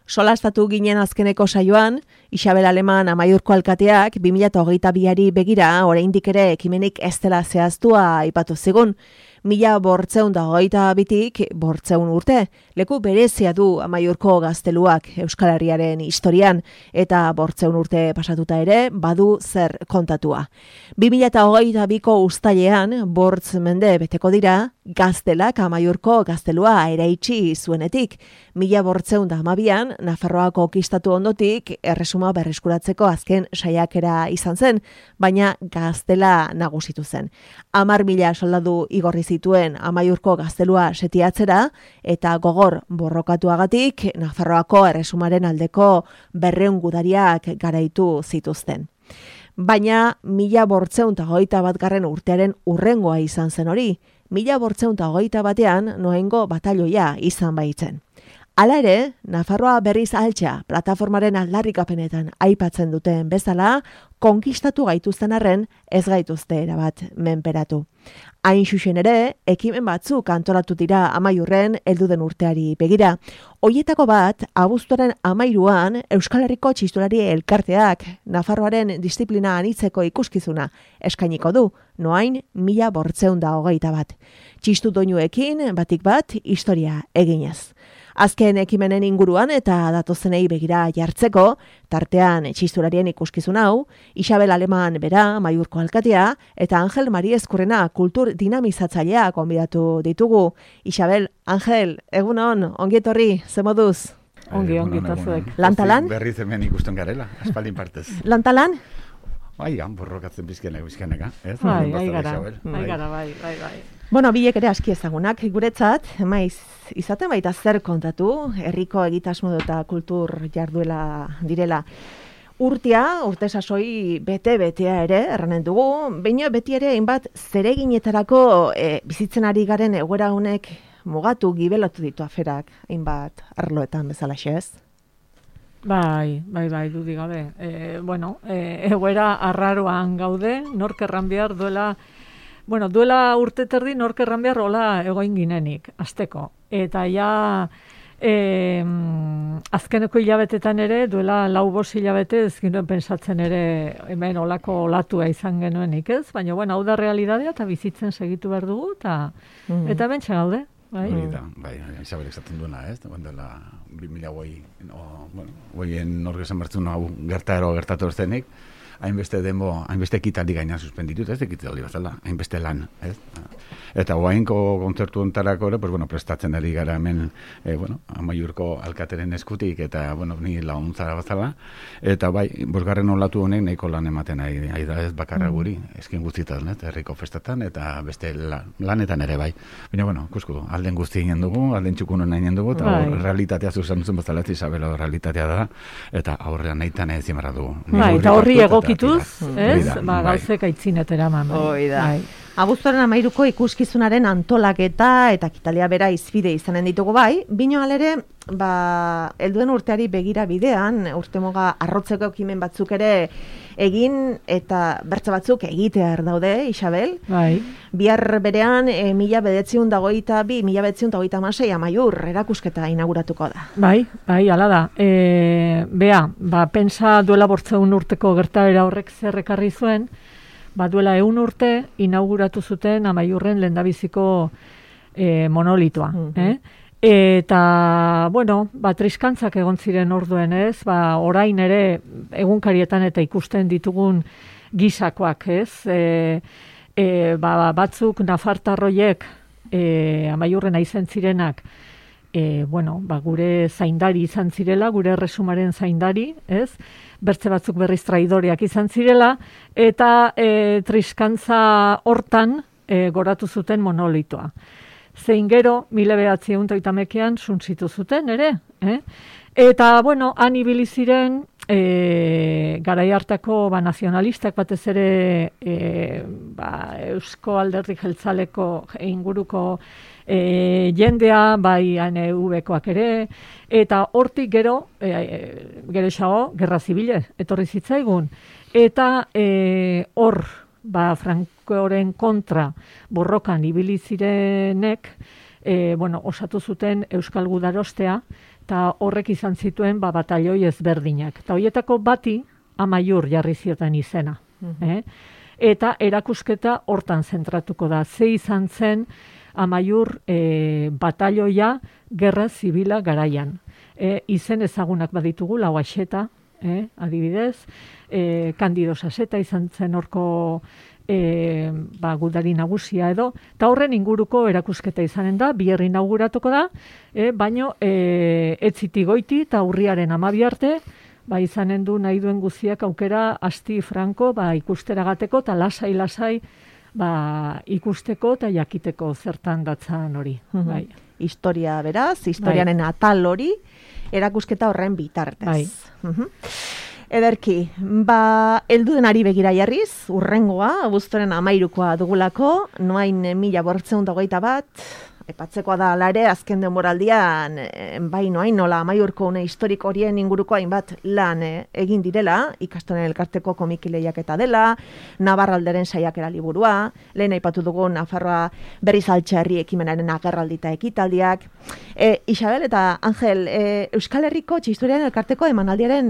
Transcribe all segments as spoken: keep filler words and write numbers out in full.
Solastatu ginen azkeneko saioan, Isabel Aleman Amaiurko alkateak bi mila hogeita biari begira oraindik ere ekimenik ez dela zehaztua aipatu zigun. Mila bortzeun da hogeita bitik bortzeun urte, leku berezia du Amaiurko gazteluak Euskal Herriaren historian, eta bortzeun urte pasatuta ere badu zer kontatua. Bi mila hogeita biko uztailean bortz mende beteko dira, gaztelak Amaiurko gaztelua eraitsi zuenetik. Mila bortzeun da hamabian, Nafarroa konkistatu ondotik erresuma berreskuratzeko azken saiakera izan zen, baina gaztela nagusitu zen. Hamar mila soldadu igorri zituen Amaiurko gaztelua setiatzera, eta gogor borrokatuagatik Nafarroako erresumaren aldeko berreun gudariak garaitu zituzten. Baina mila bortzeun eta hogeita batgarren urtearen urrengoa izan zen hori, mila bortzeun eta hogeita batean noengo batalloia izan baitzen. Hala ere, Nafarroa berriz altxa plataformaren aldarrikapenetan aipatzen duten bezala, konkistatu gaituzten arren ez gaituzte erabat menperatu. Hain xuxen ere, ekimen batzuk antolatu dira Amaiurren heldu den urteari begira. Hoietako bat, abuztuaren amairuan Euskal Herriko txistulari elkarteak Nafarroaren disiplina anitzeko ikuskizuna eskainiko du, noain mila bortzeun da hogeita bat. Txistu doinuekin batik bat historia eginez. Azken ekimenen inguruan eta datozenei begira jartzeko, tartean txistularien ikuskizun hau, Isabel Aleman bera, Amaiurko alkatea, eta Angel Mari Ezkurrena kultur dinamizatzailea konbidatu ditugu. Isabel, Angel, egun on, ongi etorri, ze moduz? Ongi, ongi, tazuek. Lantalan? Berriz hemen ikusten garela, aspaldin partez. Lantalan? Bai, han borrokatzen bizkeneka, bizkeneka. Bai, bai gara, bai gara, bai, bai, bai. Bueno, bilek ere aski ezagunak guretzat, maiz izaten baita zer kontatu, herriko egitasmo eta kultur jarduela direla. Urtea, urte sasoi bete-betea ere, erranen dugu, baina beti ere hainbat zereginetarako e, bizitzen ari garen egoera honek mugatu gibelotu ditu aferak, hainbat arloetan bezala ez? Bai, bai, bai, dudik gabe. E, bueno, e, egoera arraroan gaude, nork erran behar duela, bueno, duela urte terdi nork erran behar hola egoin ginenik, azteko. Eta ja, e, azkeneko hilabetetan ere, duela lau bos hilabete, ez ginoen pensatzen ere hemen olako olatua izan genuenik, ez? Baina, bueno, hau da realidadea eta bizitzen segitu behar dugu, eta, mm. eta hemen gaude. Bai, da, bai, Isabel esaten duena, ez? Dela bi mila hogei, no, bueno, hogeien nork esan bertzen hau gertaro gertatu zenik, hainbeste demo, hainbeste ekitaldi gainan suspenditut, ez? Ekitaldi bazala, hainbeste lan, ez? Eta hoainko kontzertu ontarako ere, pues, bueno, prestatzen ari gara hemen, eh, bueno, Amaiurko alkateren eskutik, eta, bueno, ni laguntzara bazala, eta bai, bosgarren olatu honek nahiko lan ematen ari, ari da ez bakarra guri, eskin guztietan, ez? Herriko festatan, eta beste lan, lanetan ere bai. Baina, bueno, kusku, alden guzti ginen dugu, alden txukunen nahi dugu, eta bai. Realitatea zuzen duzen bazala, Isabelo realitatea da, eta aurrean nahi tan ez zimarra dugu. Bai, eta horri egokituz, ez? Ba, gauzek aitzinetera eman. Hoi da. Abuztuaren amairuko ikuskizunaren antolaketa eta kitalia bera izbide izanen ditugu bai, bino alere, ba, helduen urteari begira bidean, urtemoga arrotzeko ekimen batzuk ere egin eta bertza batzuk egitear daude, Isabel. Bai. Bihar berean, e, mila bedetziun dagoita bi, mila bedetziun dagoita amasei Amaiur erakusketa inauguratuko da. Bai, bai, ala da. E, bea, ba, pensa duela bortzeun urteko gertaera horrek zerrekarri zuen, ba, duela eun urte inauguratu zuten Amaiurren lehendabiziko e, monolitoa. Mm-hmm. eh? Eta, bueno, ba, triskantzak egon ziren orduen ez, ba, orain ere egunkarietan eta ikusten ditugun gisakoak ez, e, e, ba, batzuk nafartarroiek e, Amaiurren aizen zirenak, e, bueno, ba, gure zaindari izan zirela, gure erresumaren zaindari, ez, bertze batzuk berriz traidoreak izan zirela, eta e, triskantza hortan e, goratu zuten monolitoa. Zein gero, mila behatziehun eta oitamekean suntzitu zuten, ere. Eh? Eta, bueno, han ibili ziren, e, garai hartako ba, nazionalistak batez ere e, ba, Eusko Alderdi Jeltzaleko inguruko e, jendea, bai N U Bkoak ere, eta hortik gero, e, e, gero esago, gerra zibile, etorri zitzaigun. Eta e, hor, ba, Francoren kontra borrokan ibili zirenek, e, bueno, osatu zuten Euskal Gudarostea, eta horrek izan zituen ba, batalioi ezberdinak. Eta horietako bati Amaiur jarri zioten izena. Mm-hmm. eh? Eta erakusketa hortan zentratuko da. Ze izan zen Amaiur e, batalioia gerra zibila garaian. E, izen ezagunak baditugu, lau axeta, eh, adibidez, e, Kandido Saseta izan zen horko e, ba, gudari nagusia edo, eta horren inguruko erakusketa izanen da, biher inauguratuko da, e, baino e, etziti goiti eta urriaren amabi arte, ba, izanen du nahi duen guziak aukera asti franko ba, ikusteragateko eta lasai-lasai ba, ikusteko eta jakiteko zertan datzan hori. Mm-hmm. Bai. Historia beraz, historiaren bai. Atal hori, erakusketa horren bitartez. Bai. Mm-hmm. Ederki, ba, heldu denari begira jarriz, urrengoa, abuztuaren amairukoa dugulako, noain mila bortzeun dagoita bat, epatzekoa da alare, azken denboraldian, bai noain nola amaiurko une historiko horien inguruko hainbat lan eh, egin direla, ikastonen elkarteko komikileiak eta dela, Navarralderen saiakera liburua, lehen aipatu dugu Nafarroa berriz altxarri ekimenaren agerraldita ekitaldiak. E, Isabel eta Angel, e, Euskal Herriko txistoriaren elkarteko emanaldiaren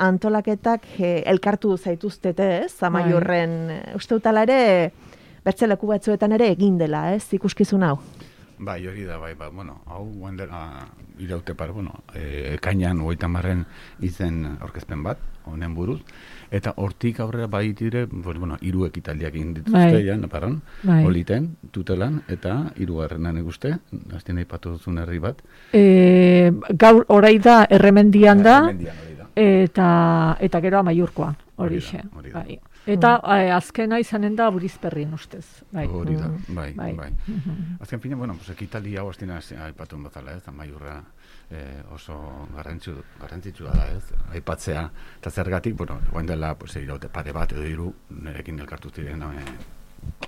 antolaketak e, elkartu zaituztete, ez? Amaiurren, uste utala ere, bertzeleku batzuetan ere egin dela, ez? Ikuskizun hau. Bai, hori da, bai, ba, bueno, hau guandera iraute par, bueno, e, ekainan hogeita marren izen aurkezpen bat, honen buruz, eta hortik aurrera bai dire, bueno, hiru ekitaldiak egin dituzte, ja, naparan, bai. Oliten, tutelan, eta hirugarrenan ikuste, azten aipatu duzun herri bat. E, gaur, orai da, erremendian da, erremendian, hori da. Eta, eta gero Amaiurkoa, hori xe. Bai. Eta mm. azkena izanen da Burizperrin ustez. Bai. Hori da, bai, bai. bai. Mm-hmm. Azken fina, bueno, pues, ekitali hau aztena aipatu bezala, ez, Amaiurra eh, oso garrantzu, garrantzitsua da, ez, aipatzea, eta zergatik, bueno, guain dela, pues, iraute pare bat edo hiru nerekin elkartu ziren, eh,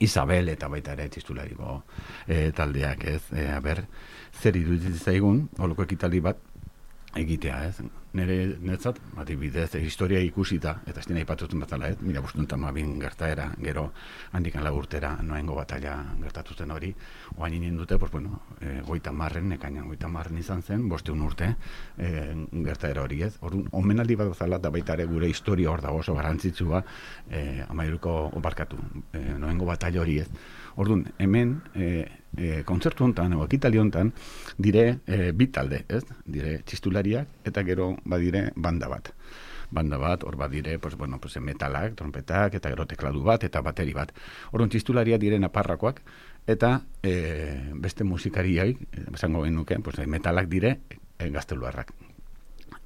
Isabel eta baita ere txistulariko eh, taldeak, ez, eh, aber, zer iruditzen zaigun, holoko ekitali bat, egitea, ez? Nere netzat, adibidez, historia ikusita, eta ez dina ipatuten batala, ez? Mila bostun tamabin gertaera, gero handikan laburtera noengo batalla gertatuten hori, oain inen dute, pues, bueno, e, goita marren, ekainan goita marren izan zen, bosteun urte e, gertaera hori, ez? Orduan, omenaldi bat bezala, da baita ere gure historia hor dago oso garrantzitsua, e, Amaiurko oparkatu, e, noengo batalla hori, ez? Orduan, hemen, e, e, kontzertu hontan, o ekitali hontan, dire e, bi talde, ez? Dire txistulariak, eta gero badire banda bat. Banda bat, hor badire, pues, bueno, pues, metalak, trompetak, eta gero tekladu bat, eta bateri bat. Orduan, txistularia dire naparrakoak, eta e, beste musikariak, esango genuke, pues, metalak dire e, gazteluarrak.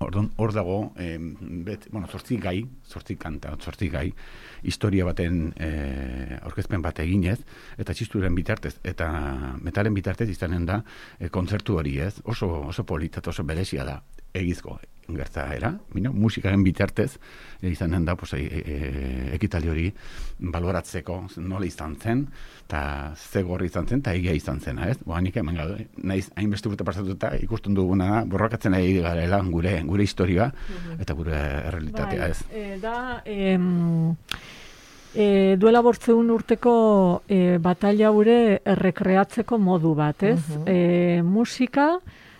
Orduan, hor dago, eh, bet, bueno, zortzi gai, zortzi kanta, zortzi gai, historia baten eh, aurkezpen bat eginez, eta txisturen bitartez, eta metalen bitartez izanen da eh, kontzertu hori, ez? Oso, oso politat, oso berezia da, egizko gertaera, bino, musikaren bitartez e, izanen da, pues, e, e, ekitali hori baloratzeko nola izan zen, eta ze gorri izan zen, eta egia izan zena, ez? Boa, nik hemen gaude, naiz hainbeste urte pasatuta ikusten duguna da, borrokatzen ari garela gure, gure historia, eta gure errealitatea, ez? Bai, e, da, em, e, duela bortzeun urteko e, batalla gure errekreatzeko modu bat, ez? Uh-huh. E, musika,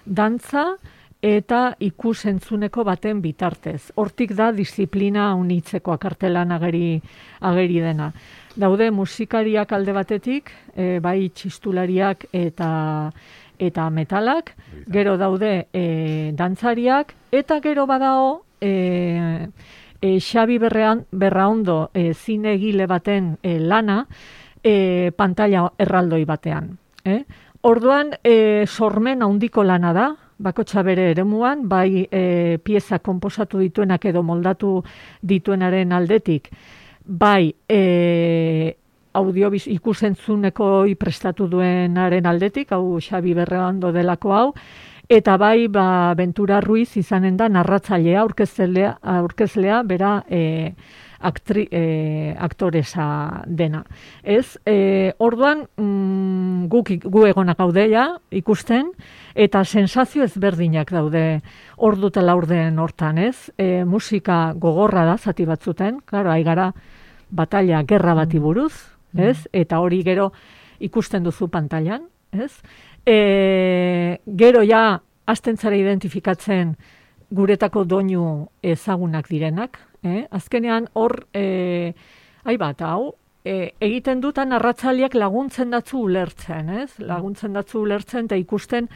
dantza, eta ikusentzuneko baten bitartez. Hortik da disiplina unitzeko akartelan ageri, ageri dena. Daude musikariak alde batetik, e, bai txistulariak eta eta metalak, gero daude e, dantzariak, eta gero badao e, e, Xabi Berrean, Berraondo e, zine egile baten e, lana e, pantalla erraldoi batean. Eh? Orduan, e, sormen handiko lana da, bakotxa bere eremuan, bai e, pieza konposatu dituenak edo moldatu dituenaren aldetik, bai e, audio ikusentzuneko prestatu duenaren aldetik, hau Xabi Berreondo delako hau, eta bai ba, Ventura Ruiz izanen da narratzailea, aurkezlea, aurkezlea bera e, aktri, e, aktoresa dena. Ez, e, orduan mm, guk, gu egonak gaudeia ikusten, eta sensazio ezberdinak daude ordu eta laurden hortan, ez? E, musika gogorra da, zati batzuten, claro, aigara batalla, gerra bati buruz, ez? Eta hori gero ikusten duzu pantailan, ez? E, gero ja hasten zara identifikatzen guretako doinu ezagunak direnak, eh? Azkenean hor, eh, ai bat, hau, E, egiten dutan arratzaliak laguntzen datzu ulertzen, ez? Laguntzen datzu ulertzen eta ikusten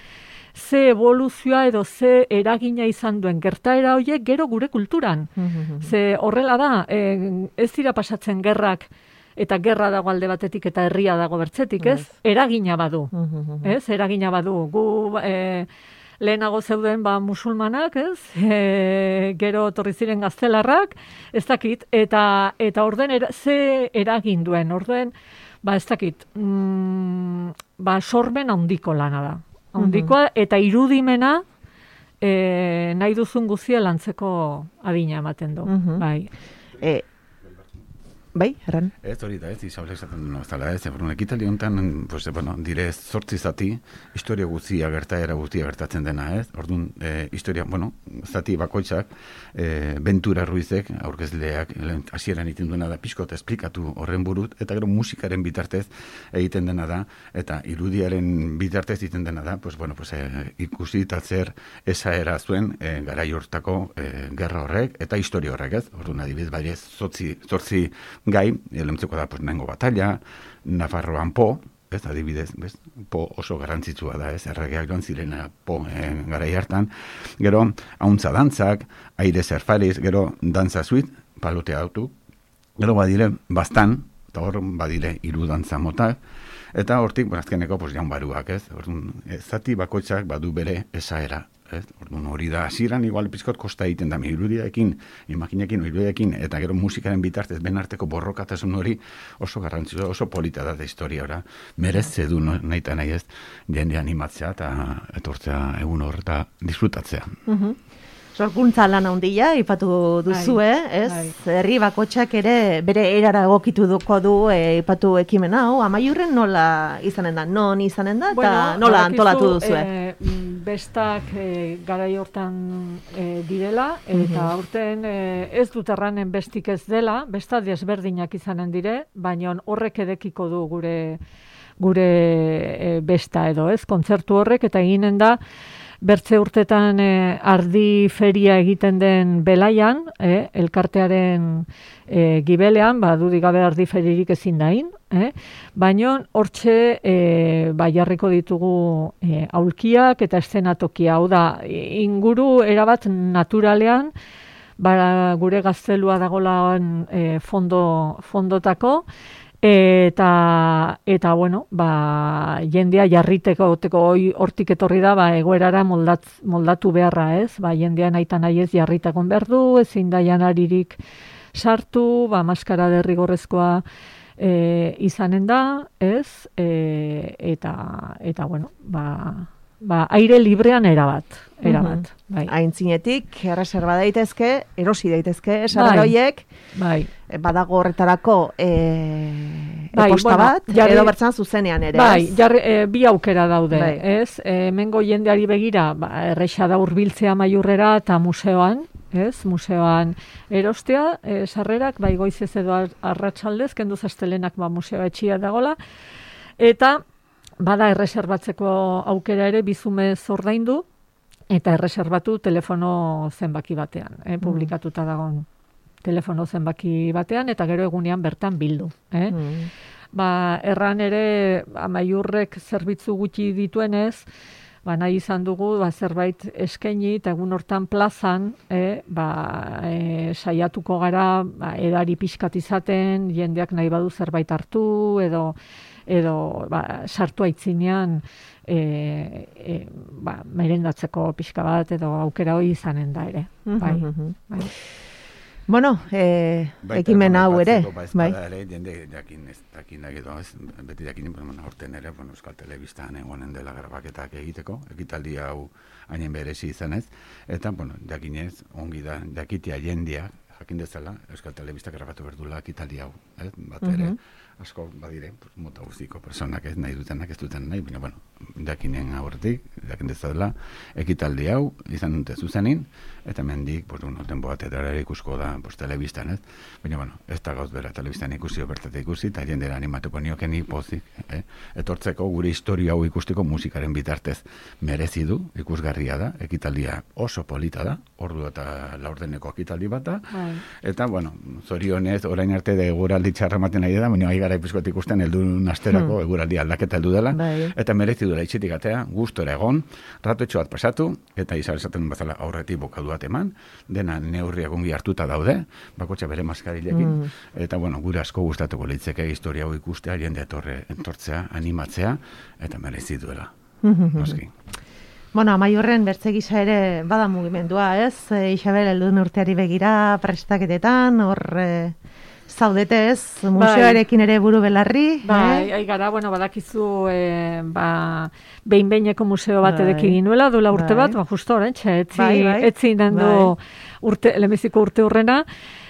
ze evoluzioa edo ze eragina izan duen gertaera horiek gero gure kulturan. Mm-hmm. Ze horrela da, e, ez dira pasatzen gerrak eta gerra dago alde batetik eta herria dago bertzetik, ez? Yes. Eragina badu, mm-hmm. ez? Eragina badu. Gu... E, lehenago zeuden ba musulmanak, ez? E, gero etorri ziren gaztelarrak, ez dakit, eta eta orden era, ze eragin duen, orden, ba ez dakit, mm, ba sormen handiko lana da. Handikoa, mm-hmm. eta irudimena e, nahi duzun guztia lantzeko adina ematen du. Mm-hmm. Bai. E, bai, erran? Ez hori da, ez, Isabel esaten duen bezala, ez, eborun, ekitaldi honetan, pues, bueno, dire zortzi zati, historia guztia gertaera guztia gertatzen dena, ez, orduan, e, historia, bueno, zati bakoitzak, e, Ventura Ruizek, aurkezleak, hasieran egiten duena da, pixkot esplikatu horren burut, eta gero musikaren bitartez egiten dena da, eta irudiaren bitartez egiten dena da, pues, bueno, pues, e, ikusi eta zer esaera zuen, e, garai hortako e, gerra horrek, eta historia horrek, ez, orduan, adibidez, bai ez, zortzi, zortzi gai, elemtzeko da, pues, nengo batalla, Nafarroan Po, ez, adibidez, bez, Po oso garrantzitsua da, ez, erregeak joan zirena Po eh, garai hartan, gero, hauntza dantzak, aire zerfariz, gero, dantza zuit, palotea autu, gero badire, bastan, eta hor badire hiru dantza motak, eta hortik, bueno, azkeneko, pues, jaun baruak, ez, orduan, zati bakoitzak badu bere esaera, ez, orduan hori da, hasieran igual pizkot kosta egiten da, irudiaekin, imaginekin, irudiaekin, eta gero musikaren bitartez, ben arteko borrokatasun hori oso garrantzitsua, oso polita da da historia ora, merezze du no, nahi eta nahi ez, jende animatzea eta etortzea egun hor eta disfrutatzea. Mhm. Sorkuntza lan handia ipatu duzue, ez? Ai. Herri bakoitzak ere bere erara egokitu duko du e, ipatu ekimen hau. Amaiurren nola izanen da? Non izanen da? Eta bueno, nola antolatu duzue? E, bestak e, garai hortan e, direla, eta mm-hmm. aurten e, ez dut erranen bestik ez dela, besta desberdinak izanen dire, baina horrek edekiko du gure gure e, besta edo, ez? Kontzertu horrek, eta eginen da bertze urtetan eh, ardi feria egiten den belaian, eh, elkartearen eh, gibelean, ba, dudik gabe ardi feririk ezin dain, eh? Baina hortxe eh, ba, jarriko ditugu eh, aulkiak eta eszenatokia, hau da, inguru erabat naturalean, ba, gure gaztelua dagolan eh, fondo, fondotako, eta eta bueno, ba jendea jarriteko oteko hortik etorri da, ba egoerara moldat, moldatu beharra, ez? Ba jendea naita nahi ez jarritakon behar du, ezin da janaririk sartu, ba maskara derrigorrezkoa e, izanen da, ez? E, eta eta bueno, ba ba aire librean erabat, erabat. Mm-hmm. Bai. Aintzinetik erreserba daitezke, erosi daitezke, sarraroiek. Bai. Badago horretarako e, bai, e-posta bueno, bat, jarri, edo bertzan zuzenean ere. Bai, jarri, e, bi aukera daude, bai. Ez? E, mengo jendeari begira, ba, erresa da hurbiltzea Maiurrera eta museoan, ez? Museoan erostea, e, sarrerak, bai goizez edo arratsaldez, kendu zastelenak ba, museoa etxia dagola, eta bada erreserbatzeko aukera ere bizumez ordaindu, eta erreserbatu telefono zenbaki batean, eh, publikatuta dagoen telefono zenbaki batean, eta gero egunean bertan bildu. Eh? Mm. Ba, erran ere, Amaiurrek zerbitzu gutxi dituenez, ba, nahi izan dugu ba, zerbait eskaini, eta egun hortan plazan, eh, ba, e, saiatuko gara, ba, edari pixkat izaten, jendeak nahi badu zerbait hartu, edo edo ba, sartu aitzinean e, e, ba, merendatzeko pixka bat, edo aukera hori izanen da ere. Bai, bai. Bueno, eh, ekimen hau ere. Bai. Ere, jende jakin ez dakin edo, ez, beti jakin, bueno, horten ere, bueno, Euskal Telebistan egonen dela grabaketak egiteko, ekitaldi hau hainen berezi izanez, eta, bueno, jakinez, ongi da, jakitea jendeak, jakin dezala, Euskal Telebistak grabatu berdula ekitaldi hau, eh? Bat ere, asko badire, mota guztiko personak ez nahi dutenak ez duten nahi, baina, bueno, dakinen aurretik, jakin dezala, ekitaldi hau, izan dute zuzenin, eta mendik, pues, bueno, tempo bat edera ikusko da, pues, telebistan, ez? Baina, bueno, ez da gauz bera telebistan ikusi, obertate ikusi, eta jendera animatuko nioken pozik, eh? Etortzeko gure historia hau ikusteko musikaren bitartez merezi du, ikusgarria da, ekitaldia oso polita da, ordu eta laurdeneko ekitaldi bat da, eta, bueno, zorionez, orain arte de eguraldi txarra ematen nahi da, baina gara ipizkoet ikusten heldun asterako hmm. eguraldi aldaketa heldu dela, bai. Eta merezi dela itxitik atea, gustora egon, ratotxo bat pasatu, eta Isabel esaten bezala aurretik bokadu bat eman, dena neurriak ongi hartuta daude, bakotxa bere maskarilekin, hmm. eta, bueno, gure asko gustatuko litzeke historia hau ikustea, jende etorre, entortzea, animatzea, eta merezi duela. Noski. Bueno, Amaiurren bertze gisa ere bada mugimendua, ez? E, Isabel, helduen urteari begira, prestaketetan, hor e, zaudete, ez? Museoarekin ere buru belarri. Bai, eh? Gara, bueno, badakizu, e, ba, behin-behineko museo bat edeki ginuela, duela urte bai. bat, ba, justo orain, etzi, bai, bai. etzi indendu bai. urte, lemeziko urte urrena,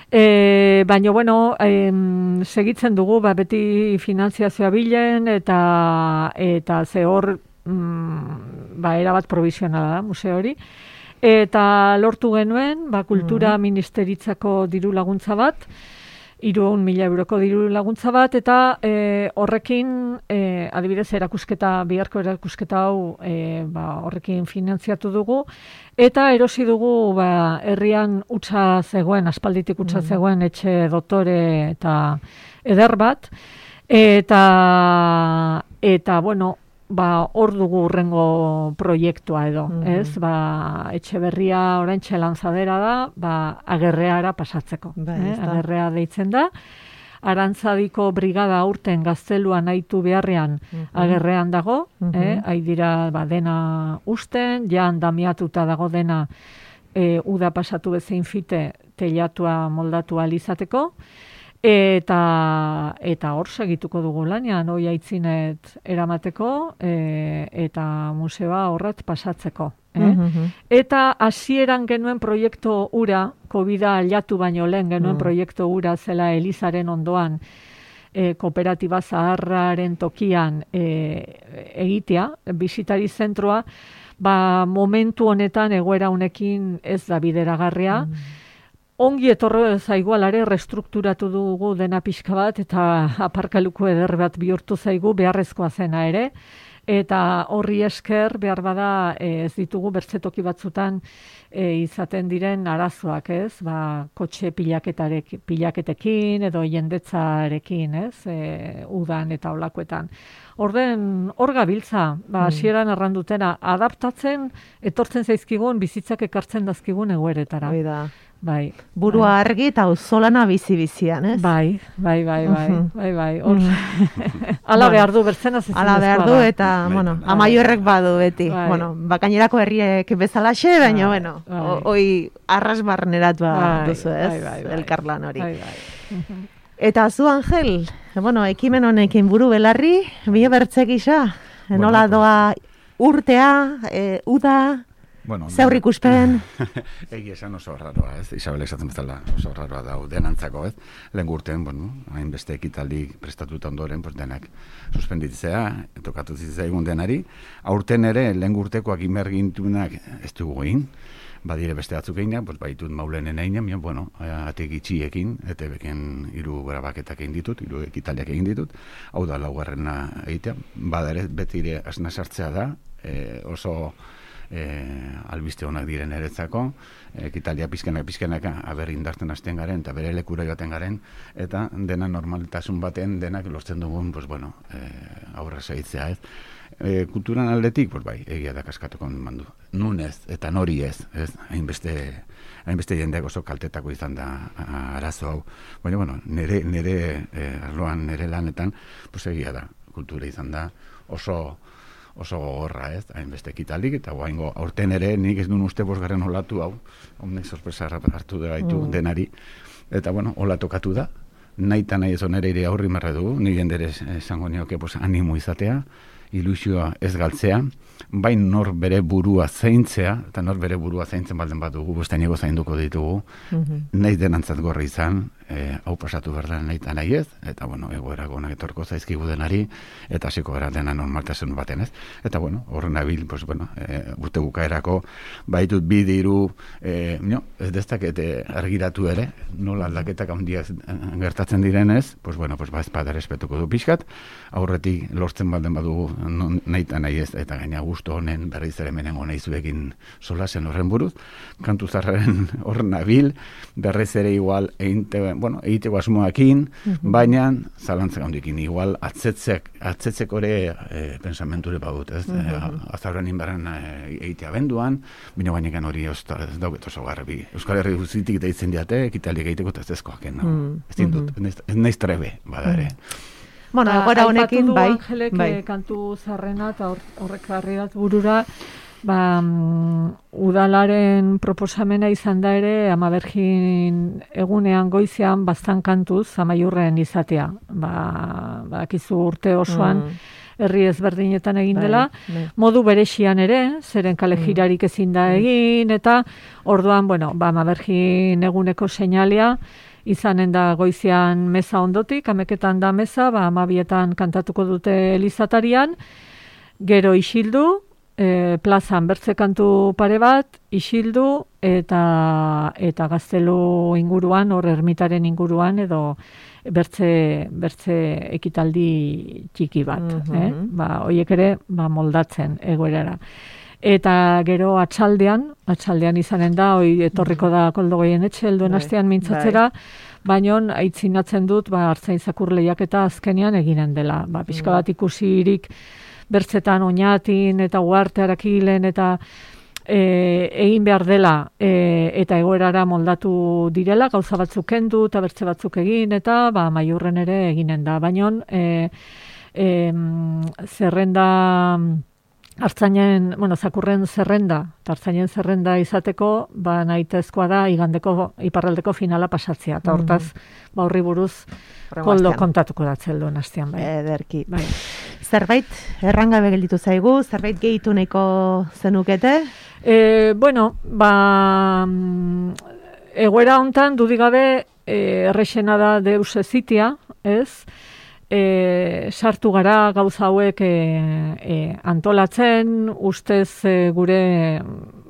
E, baina, bueno, em, segitzen dugu, ba, beti finanziazioa bilen, eta, eta ze hor, mm, ba, erabat provisionala da, museo hori. Eta lortu genuen, ba, kultura mm. ministeritzako diru laguntza bat, hiruehun mila euroko diru laguntza bat, eta e, horrekin, e, adibidez, erakusketa, biharko erakusketa hau e, ba, horrekin finantziatu dugu, eta erosi dugu ba, herrian utza zegoen, aspalditik utza mm. zegoen etxe dotore eta eder bat, eta, eta bueno, ba, hor dugu urrengo proiektua edo, mm. ez? Ba, etxe berria oraintxe lanzadera da, ba, agerreara pasatzeko. Ba, eh? Agerrea deitzen da. Arantzadiko brigada aurten gazteluan aitu beharrean mm-hmm. agerrean dago, mm-hmm. eh? Hai dira ba, dena usten, jan damiatuta dago dena e, uda pasatu bezein fite teilatua moldatu alizateko. Eta eta hor segituko dugu lanean, hoi aitzinet eramateko e, eta museoa horret pasatzeko. Eh? Mm-hmm. Eta hasieran genuen proiektu ura, Covida aldatu baino lehen genuen mm. proiektu ura zela Elizaren ondoan, e, kooperatiba zaharraren tokian e, egitea, bisitari zentroa, ba, momentu honetan egoera honekin ez da bideragarria, mm. Ongi etorre zaigu alare restrukturatu dugu dena pixka bat eta aparkaluko eder bat bihurtu zaigu beharrezkoa zena ere. Eta horri esker behar bada ez ditugu bertzetoki batzutan e, izaten diren arazoak, ez? Ba, kotxe pilaketarek, pilaketekin edo jendetzarekin, ez? E, udan eta olakoetan. Orden, hor gabiltza, ba, hasieran mm. errandutena, adaptatzen, etortzen zaizkigun, bizitzak ekartzen dazkigun egoeretara. Oida. Bai. Burua bai. Argi eta auzolana bizi-bizian, ez? Bai, bai, bai, bai, bai, bai. Hor, ala behar du, bertzen azizien ala behar du, eta, bai. bueno, bai. Amaiorrek badu beti. Bai. Bueno, bakainerako herriek bezalaxe, baina, bai. bueno, bai. hoi arrasbarneratua bai. duzu, ez? Bai, bai, bai. Elkarlan hori. Bai, bai. Eta zu, Angel, bueno, ekimen honekin buru belarri, bide bertzek isa, bueno, nola doa urtea, e, uda, bueno, zeur ikuspen. Egi esan oso raroa, ez? Isabel esaten bezala oso raroa da denantzako, ez? Lehen urtean, bueno, hainbeste ekitaldi prestatuta ondoren, pues denak suspenditzea, tokatu zitzaigun denari. Aurten ere, lehen urtekoak imergintunak ez dugu egin, badire beste batzuk egin, pues baitut maulenen egin, bueno, atek itxiekin, eta beken hiru grabaketak egin ditut, hiru ekitaliak egin ditut, hau da laugarrena egitea, bada ere, beti ere asna sartzea da, e, oso E, albiste honak diren eretzako, ekitalia pizkenak pizkenak aber indartzen hasten garen eta bere lekura joaten garen, eta dena normaltasun baten denak lortzen dugun, pues bueno, e, aurra segitzea, ez? E, kulturan aldetik, pues bai, egia da kaskatuko mandu. Nun ez, eta nori ez, ez? Hainbeste hainbeste jendeak oso kaltetako izan da arazo hau. Baina, bueno, nire, nire e, arloan, nire lanetan, pues egia da, kultura izan da, oso oso gogorra, ez, hainbeste ekitalik, eta guaingo aurten ere nik ez duen uste bosgarren olatu hau, honek sorpresa hartu da gaitu mm. denari, eta bueno, hola tokatu da, nahi eta nahi ez onere ere aurri marra dugu, nire jendere esango nioke pues, animo izatea, ilusioa ez galtzea, bai nor bere burua zaintzea, eta nor bere burua zaintzen balden bat dugu, bustainego zainduko ditugu, mm-hmm. nahi denantzat gorra izan, e, hau pasatu behar da nahi eta nahi ez, eta bueno, egoera gonak etorko zaizkigu denari, eta hasiko gara dena normaltasun baten ez. Eta bueno, horren nabil, pues, bueno, e, urte bukaerako, baitut bi diru, e, no, ez deztak argiratu ere, nola aldaketak handiak gertatzen direnez, pues bueno, pues bazpada respetuko du pixkat, aurretik lortzen balden badugu nahi eta nahi ez, eta gaina gustu honen berriz ere menengo nahi zuekin solasen horren buruz, kantu zarraren horren nabil, berriz ere igual einte, bueno, egiteko asmoakin, mm-hmm. baina zalantzak handikin, igual atzetzek, atzetzek ore e, pensamenture badut, ez? Mm-hmm. E, azarren inberren e, egitea benduan, bino gainekan hori ez dauket oso garbi. Euskal Herri guzitik deitzen diate, ekitalik egiteko eta ez ezkoak, no? Mm-hmm. Ez dindut, ez naiz trebe, bada ere. Bueno, agora honekin, bai, Angelek, bai. Kantu zarrena eta horrek harriat burura, ba, um, udalaren proposamena izan da ere, Ama Bergin egunean goizean bastan kantuz Amaiurren izatea. Ba, bakizu urte osoan, mm. herri ezberdinetan egin dela, bai, bai. Modu berexian ere, zeren kale jirarik ezin da egin, eta orduan, bueno, ba, Ama Bergin eguneko seinalea, izanen da goizean meza ondotik, ameketan da meza, ba, amabietan kantatuko dute elizatarian, gero isildu, e, plazan bertze kantu pare bat, isildu, eta eta gaztelu inguruan, hor ermitaren inguruan, edo bertze, bertze ekitaldi txiki bat. Mm-hmm. eh? Ba, oiek ere, ba, moldatzen egoerara. Eta gero atxaldean, atxaldean izanen da, hoi etorriko da Koldo Goienetxe, helduen astean mintzatzera, baina aitzinatzen dut, ba, Artzain Zakur lehiaketa azkenean eginen dela. Ba, pixka bat ikusirik bertzetan oinatin eta uarte arakilen eta e, egin behar dela e, eta egoerara moldatu direla, gauza batzuk kendu eta bertze batzuk egin eta ba, Amaiurren ere eginen da. Baina e, e, zerrenda... Artzainen, bueno, Zakurren zerrenda, eta Artzainen zerrenda izateko, ba, nahitezkoa da, igandeko, iparraldeko finala pasatzea, eta hortaz, mm-hmm. ba, horri buruz, Koldo kontatuko datzelduen hastean, bai. Ederki. Bai. Zerbait, errangabe gelditu zaigu, zerbait gehitu nahiko zenukete? E, bueno, ba, egoera hontan, dudigabe, e, errexena da deus ezitia, ez? E, sartu gara gauza hauek e, e, antolatzen, ustez e, gure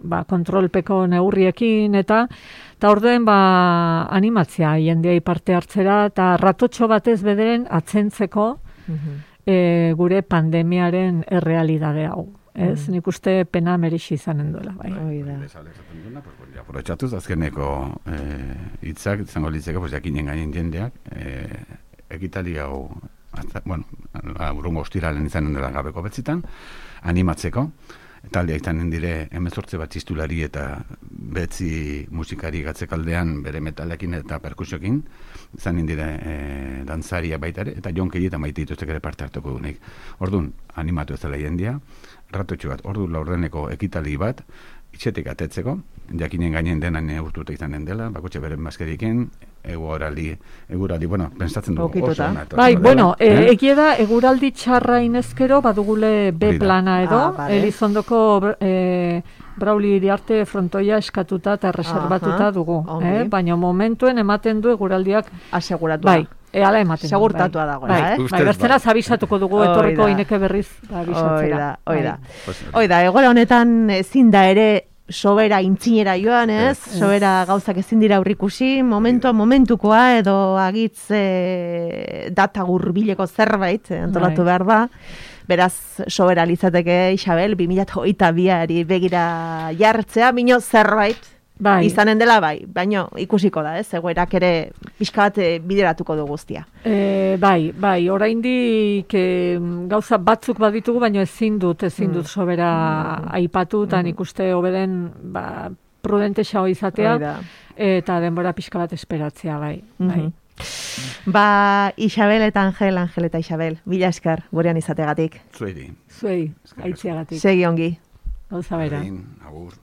ba, kontrolpeko neurriekin eta eta orduen ba, animatzea jendeai parte hartzera eta ratotxo batez bederen atzentzeko mm-hmm. e, gure pandemiaren errealidade hau. Ez, mm. nik uste pena merixi izanen duela. Bai. Aprobetxatuz, azkeneko hitzak, e, izango litzeko, pues, jakinen gainen jendeak, e, ekitali hau, bueno, urrungo ostiralen izanen dela gabeko betzitan, animatzeko, taldeak izanen dire hemezortze bat txistulari eta betzi musikari gatzekaldean bere metalekin eta perkusiokin, izanen dire e, dantzaria baitare, eta jonkeri eta maite dituztek ere parte hartuko dunik. Orduan, animatu ez dela jendia, ratotxo bat, ordu laurdeneko ekitali bat, itxetik atetzeko, jakinen gainen denan urtuta izanen dela, bakotxe beren maskeriken, eguraldi, eguraldi, bueno, pensatzen dugu oso ona. Bai, bueno, e, eh? egie da, eguraldi txarra inezkero, badugule B plana edo, ah, vale. Elizondoko e, Brauli iriarte frontoia eskatuta eta reservatuta dugu. Eh? Baina momentuen ematen du eguraldiak aseguratu. Bai. Ehala ematen. Segurtatua dago, bai. eh? Bai, bertzera zabizatuko dugu etorriko ineke berriz abisatzera. Oida, oida. Oida, egoera honetan ezin da ere sobera intzinera joan, ez? Yes. Sobera gauzak ezin dira aurrikusi, momentua momentukoa edo agitz e, data gurbileko zerbait antolatu behar da. Beraz, sobera litzateke Isabel, bi mila hogeita biari begira jartzea, bino zerbait bai. Izanen dela bai, baino ikusiko da, ez? Egoerak ere pixka bat bideratuko du guztia. E, bai, bai, oraindik e, gauza batzuk baditugu, baino ezin dut, ezin dut sobera mm. aipatu, eta mm. nik uste hobeden ba, prudente xao izatea, eta denbora pixka bat esperatzea, bai. Mm-hmm. bai. Ba, Isabel eta Angel, Angel eta Isabel, mila esker gurean izategatik. Zuei. Zuei, aitziagatik. Segi ongi. Gauza bera. Agur.